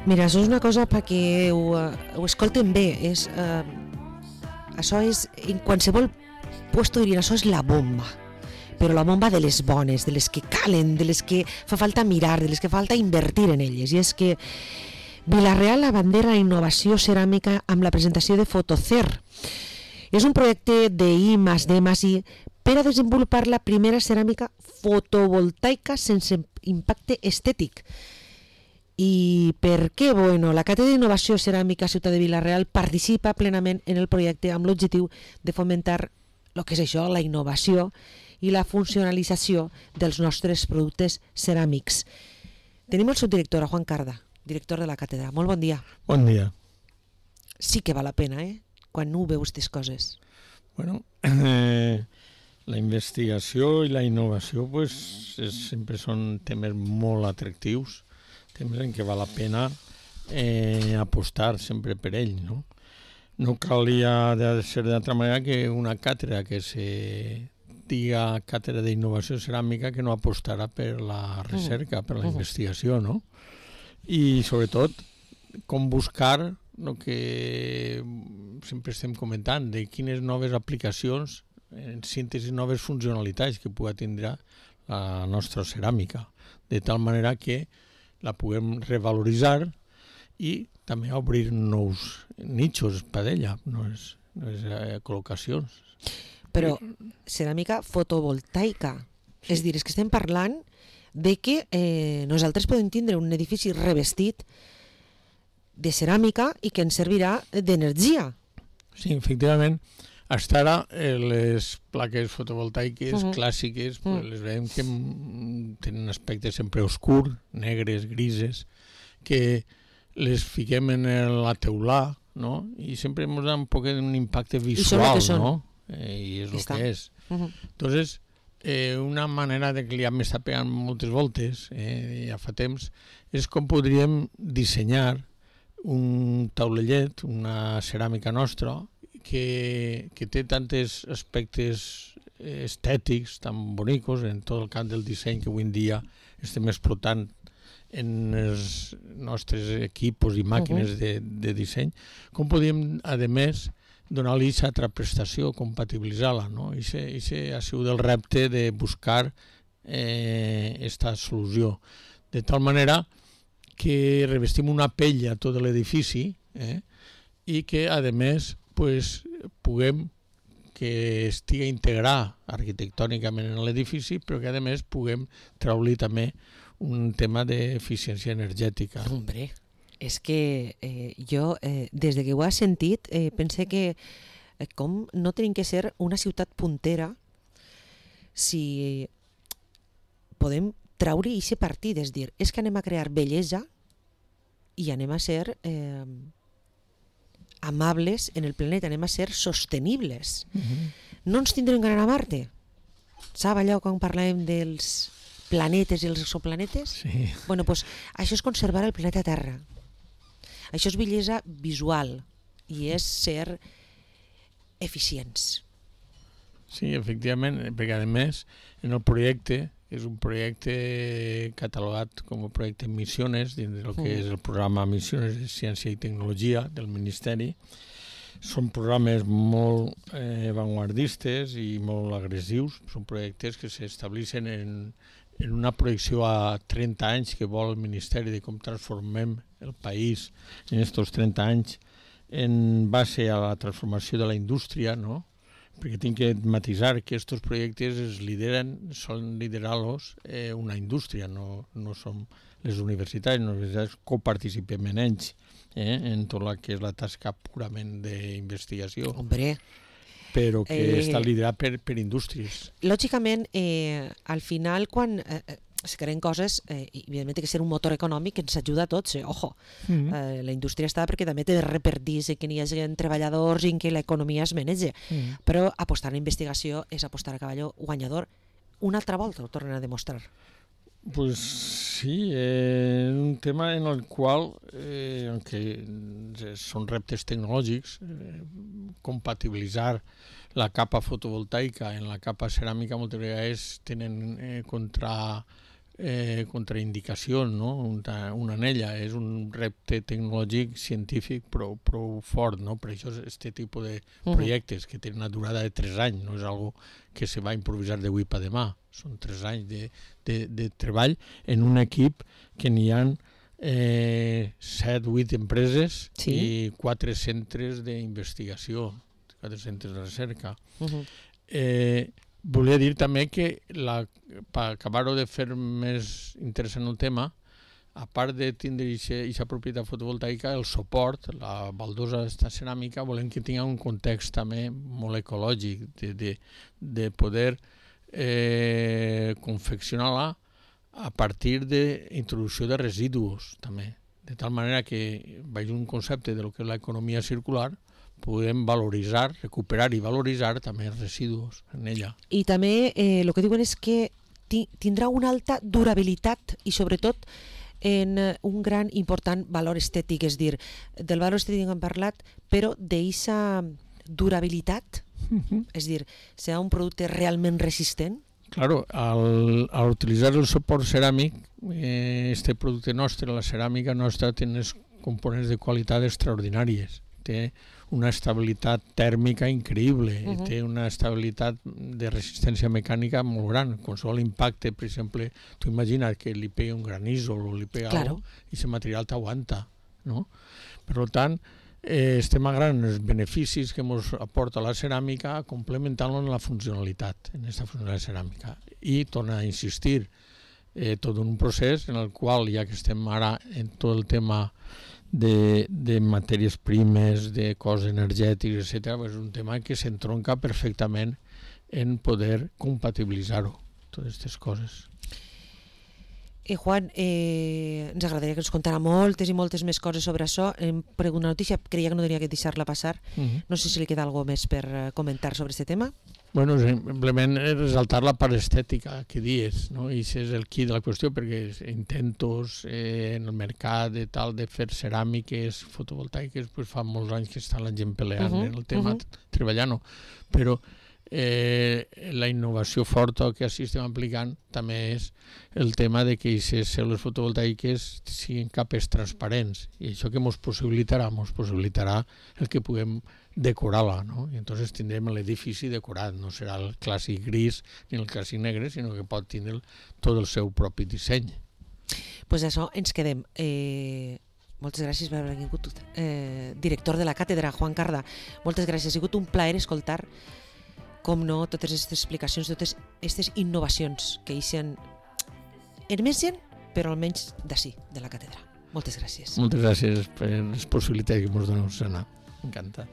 Mira, això és una cosa perquè ho escolten bé. Això és, en qualsevol puesto dirien, això és la bomba. Però la bomba de les bones, de les que calen, de les que fa falta mirar, de les que falta invertir en elles. I és que Vila-real abandera la innovació ceràmica amb la presentació de Fotocer. És un projecte d'I+D+I per a desenvolupar la primera ceràmica fotovoltaica sense impacte estètic. I per què? Bueno, la Càtedra d'Innovació Ceràmica Ciutat de Vila-real participa plenament en el projecte amb l'objectiu de fomentar el que és això, la innovació i la funcionalització dels nostres productes ceràmics. Tenim el subdirector, Juan Carda, director de la càtedra. Molt bon dia. Bon dia. Sí que val la pena, quan no veus aquestes coses. Bueno, la investigació i la innovació sempre són temes molt atractius, temes en què val la pena apostar sempre per ell, no? No calia ser d'altra manera que una càtedra que se diga càtedra d'innovació ceràmica que no apostarà per la recerca, per la investigació, no? I sobretot com buscar el que sempre estem comentant, de quines noves aplicacions, en síntesi noves funcionalitats que pugui tindre la nostra ceràmica, de tal manera que la puguem revaloritzar i també obrir nous nichos per ella, noves col·locacions. Però ceràmica fotovoltaica, és dir, és que estem parlant de que nosaltres podem tindre un edifici revestit de ceràmica i que ens servirà d'energia. Sí, efectivament. Fins ara les plaques fotovoltaiques clàssiques les veiem que tenen aspectes sempre oscurs, negres, grises, que les fiquem en la teulà, no? I sempre ens dona un poc un impacte visual, no? I és el que és. Entonces, una manera de que ja m'està pegant moltes voltes, ja fa temps, és com podríem dissenyar un taulellet, una ceràmica nostra, que té tantes aspectes estètics tan bonicos en tot el camp del disseny que avui en dia estem explotant en els nostres equipos i màquines de disseny, com podríem, a més, donar-li aquesta altra prestació, compatibilitzar-la, no? I ha sigut el repte de buscar aquesta solució, de tal manera que revestim una pell a tot l'edifici i que, a més, puguem que estigui integrat arquitectònicament en l'edifici, però que, a més, puguem treure-li també un tema d'eficiència energètica. Hombre, és que jo, des de que ho he sentit, pense que com no tenim que ser una ciutat puntera si podem treure aquest partit, és dir, és que anem a crear bellesa i anem a ser amables en el planeta, anem a ser sostenibles. No ens tindrem que anar a Marte. Sap allò quan parlàvem dels planetes i els exoplanetes? Sí. Bueno, doncs això és conservar el planeta Terra. Això és bellesa visual i és ser eficients. Sí, efectivament, perquè a més en el projecte, és un projecte catalogat com a projecte Missiones, dins del que és el programa Missiones de Ciència i Tecnologia del Ministeri. Són programes molt avantguardistes i molt agressius, són projectes que s'estableixen en una projecció a 30 anys que vol el Ministeri de com transformem el país en aquests 30 anys en base a la transformació de la indústria, no? Perquè tinc que matisar que aquests projectes són liderar-los una indústria, no són les universitats. Les universitats coparticipem en ells, en tot el que és la tasca purament d'investigació. Hombre, però que està liderat per indústries. Lògicament, al final, quan es creen coses, evidentment té que ser un motor econòmic que ens ajuda a tots, ojo. La indústria està perquè també té de repertir que n'hi hagi treballadors i que l'economia es manegi. Però apostar en investigació és apostar a cavall guanyador. Una altra volta ho tornen a demostrar. Pues sí, és un tema en el qual, aunque són reptes tecnològics, compatibilitzar la capa fotovoltaica en la capa ceràmica moltes vegades tenen contraindicacions, no? Una anella és un repte tecnològic científic prou fort, no? Per això aquest tipus de projectes que tenen una durada de 3 anys, no és algo que se va improvisar d'avui per demà, són 3 anys de treball en un equip que n'hi ha 7-8 empreses i 4 centres d'investigació, 4 centres de recerca. Volia dir també que, per acabar-ho de fer més interessant el tema, a part de tindre aquesta propietat fotovoltaica, el suport, la baldosa d'esta ceràmica, volem que tingui un context també molt ecològic, de poder confeccionar-la a partir d'introducció de residus també, de tal manera que veig un concepte de lo que és l'economia circular, podem valoritzar, recuperar i valoritzar també els residus en ella. I també el que diuen és que tindrà una alta durabilitat i sobretot en un gran important valor estètic, és dir, del valor estètic hem parlat, però d'eixa durabilitat, és dir, serà un producte realment resistent? Claro, al utilitzar el suport ceràmic, este producte nostre, la ceràmica nostra, té uns components de qualitat extraordinàries. Té una estabilitat tèrmica increïble, té una estabilitat de resistència mecànica molt gran. Qualsevol impacte, per exemple, tu imagina't que li pega un granissol o li pega algo i aquest material t'aguanta, no? Per tant, estem agarrant els beneficis que ens aporta la ceràmica complementant-lo en la funcionalitat, en aquesta funcionalitat ceràmica. I torna a insistir, tot un procés en el qual, ja que estem ara en tot el tema de matèries primes, de cost energètics, etc., és un tema que s'entronca perfectament en poder compatibilitzar-ho, totes aquestes coses. Juan, ens agradaria que ens contara moltes i moltes més coses sobre això. Per una notícia, creia que no tenia que deixar-la passar. No sé si li queda alguna més per comentar sobre aquest tema. Bueno, simplement resaltar la part estètica que dius, no? I això és el qui de la qüestió, perquè intentos en el mercat de tal de fer ceràmiques fotovoltaiques, pues fa molts anys que està la gent peleant en el tema, treballant-ho, però la innovació forta que així estem aplicant també és el tema de que aquestes cèl·lules fotovoltaiques siguin capes transparents, i això que ens possibilitarà el que puguem decorar-la, no? I entonces tindrem l'edifici decorat, no serà el clàssic gris ni el clàssic negre, sinó que pot tindre tot el seu propi disseny. Pues això ens quedem. Moltes gràcies per haver vingut, director de la càtedra, Juan Carda. Moltes gràcies, ha sigut un plaer escoltar, com no, totes aquestes explicacions, totes aquestes innovacions que emergen, però almenys d'ací, de la càtedra. Moltes gràcies. Moltes gràcies per les possibilitats que ens doneu, Susana. Encantat.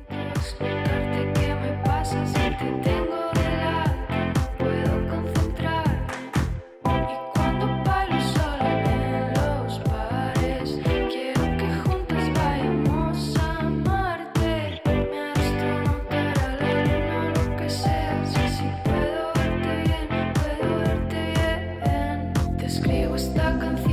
Explicarte qué me pasa si te tengo de lado, no puedo concentrarme. Y cuando bailo sola en los bares, quiero que juntas vayamos a Marte. Me astronautar a la luna, lo que sea, si puedo verte bien, te escribo esta canción.